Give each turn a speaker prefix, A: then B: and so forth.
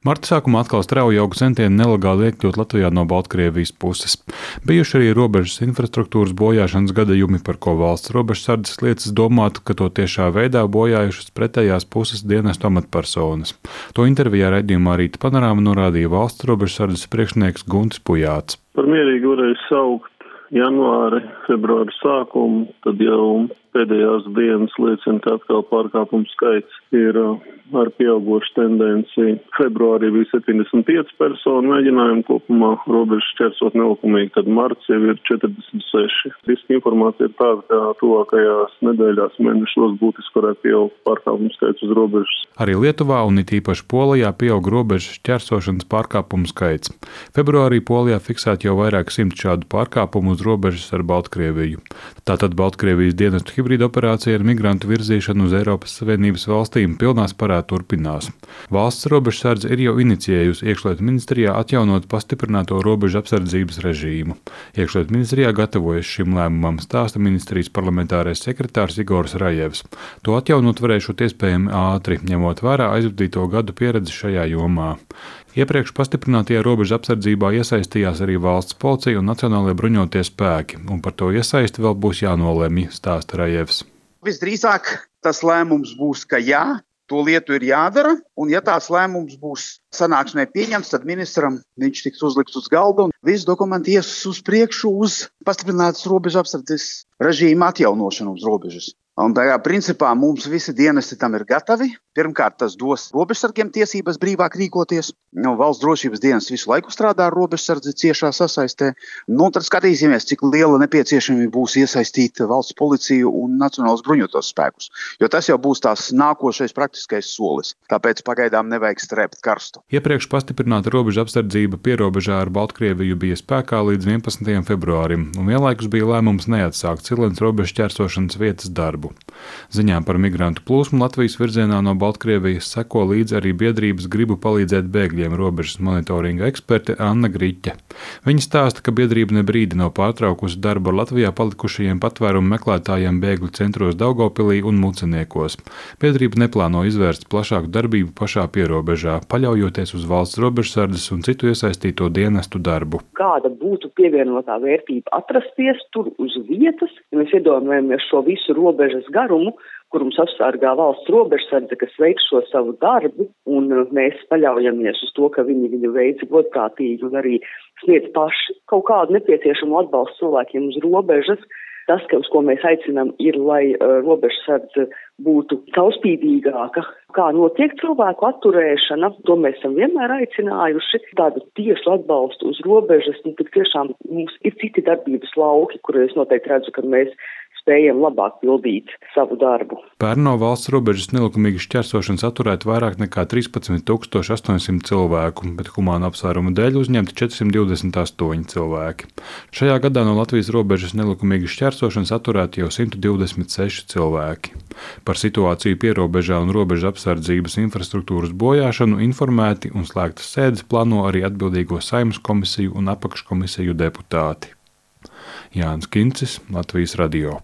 A: Marta sākumā atkal strauji auga centieni nelegāli iekļūt Latvijā no Baltkrievijas puses. Bijuši arī robežas infrastruktūras bojāšanas gadījumi, par ko valsts robežsardzes liecas domāt, ka to tiešā veidā bojājušas pretējās puses dienestu amatpersonas. To intervijā raidījumā Rīta panorāma norādīja valsts robežsardzes priekšnieks Guntis Pujāts.
B: Par mierīgi varēja saukt janvāri, februāri sākumu, tad jau pēdējās dienas liecina, ka atkal pārkāpumu skaits ir ar pieaugošu tendenci. Februārī bija 75 personu mēģinājumu kopumā robežu šķērsot nelikumīgi, tad marts jau ir 46. Riska informācija ir tāda, ka tuvākajās nedēļās mēnešos būtiski varētu pieaugt pārkāpumu skaits uz robežas.
A: Arī Lietuvā un it īpaši Polijā pieaug robežu šķērsošanas pārkāpumu skaits. Februārī Polijā fiksēti jau vairāk 100 šādu pārkāpumu uz robežas ar Baltkrieviju. Tātad Baltkrievijas dienestu hibrīda operācija ar migrantu virzīšanu uz Eiropas Savienības valstīm pilnā sparā turpinās. Valsts robežsardze ir jau inicijējusi Iekšlietu ministrijā atjaunot pastiprināto robežu apsardzības režīmu. Iekšlietu ministrijā gatavojas šim lēmumam, stāsta ministrijas parlamentārais sekretārs Igors Rajevs. To atjaunot varēšot iespējami ātri, ņemot vērā aizvadīto gadu pieredzi šajā jomā. Iepriekš pastiprinātajā robežu apsardzībā iesaistījās arī valsts policija un nacionālie bruņotie spēki, un par to iesaisti vēl būs jānolemj, stāsta Rajevs.
C: Visdrīzāk tas lēmums būs, ka jā, to lietu ir jādara, un ja tās lēmums būs sanāksmē pieņemts, tad ministram viņš tiks uzlikts uz galda un visi dokumenti ies uz priekšu uz pastiprinātas robežu apsardzes režīma atjaunošanu uz robežas. Un tajā principā mums visi dienesti tam ir gatavi. Pirmkārt, tas dos robežsargiem tiesības brīvāk rīkoties. Valsts drošības dienas visu laiku strādā ar robežsardzi ciešā sasaistē. Tad skatīsimies, cik liela nepieciešamība būs iesaistīt valsts policiju un nacionālos bruņotos spēkus. Jo tas jau būs tās nākošais praktiskais solis. Tāpēc pagaidām nevajag strēpt karstu.
A: Iepriekš pastiprināta robežu apsardzība pierobežā ar Baltkrieviju bija spēkā līdz 11. februārim, un vienlaikus bija lēmums neatsākt Cilenes robežu šķērsošanas vietas darbu. Ziņām par migrantu plūsmu Latvijas virzienā no Baltkrievijas seko līdzi arī biedrības Gribu palīdzēt bēgļiem robežas monitoringa eksperte Anna Griķe. Viņa stāsta, ka biedrība ne brīdi nav pārtraukusi darbu ar Latvijā palikušajiem patvērumu meklētājiem bēgļu centros Daugavpilī un Muceniekos. Biedrība neplāno izvērst plašāku darbību pašā pierobežā, paļaujoties uz valsts robežsardzes un citu iesaistīto dienestu darbu.
D: Kāda būtu pievienotā vērtība atrasties tur uz vietas, ja mēs iedomājamies šo visu robežas garumu, kur mums apsargā valsts robežsardze, kas veic šo savu darbu, un mēs paļaujamies uz to, ka viņi viņu veic godprātīgi un arī sniedz paši kaut kādu nepieciešamu atbalstu cilvēkiem uz robežas. Tas, uz ko mēs aicinām, ir, lai robežsardze būtu caurspīdīgāka. Kā notiek cilvēku atturēšana, to mēs esam vienmēr aicinājuši. Tādu tiešu atbalstu uz robežas, tik tiešām mums ir citi darbības lauki, kur es noteikti redzu, ka mēs spējam labāk pildīt savu darbu.
A: Pērn no valsts robežas nelikumīgi šķērsošanas atturēt vairāk nekā 13,800 cilvēku, bet humāna apsvērumu dēļ uzņemti 428 cilvēki. Šajā gadā no Latvijas robežas nelikumīgi šķērsošanas atturēti jau 126 cilvēki. Par situāciju pierobežā un robežu apsardzības infrastruktūras bojāšanu informēti un slēgtas sēdes plāno arī atbildīgo Saeimas komisiju un apakškomisiju deputāti. Jānis Kincis, Latvijas radio.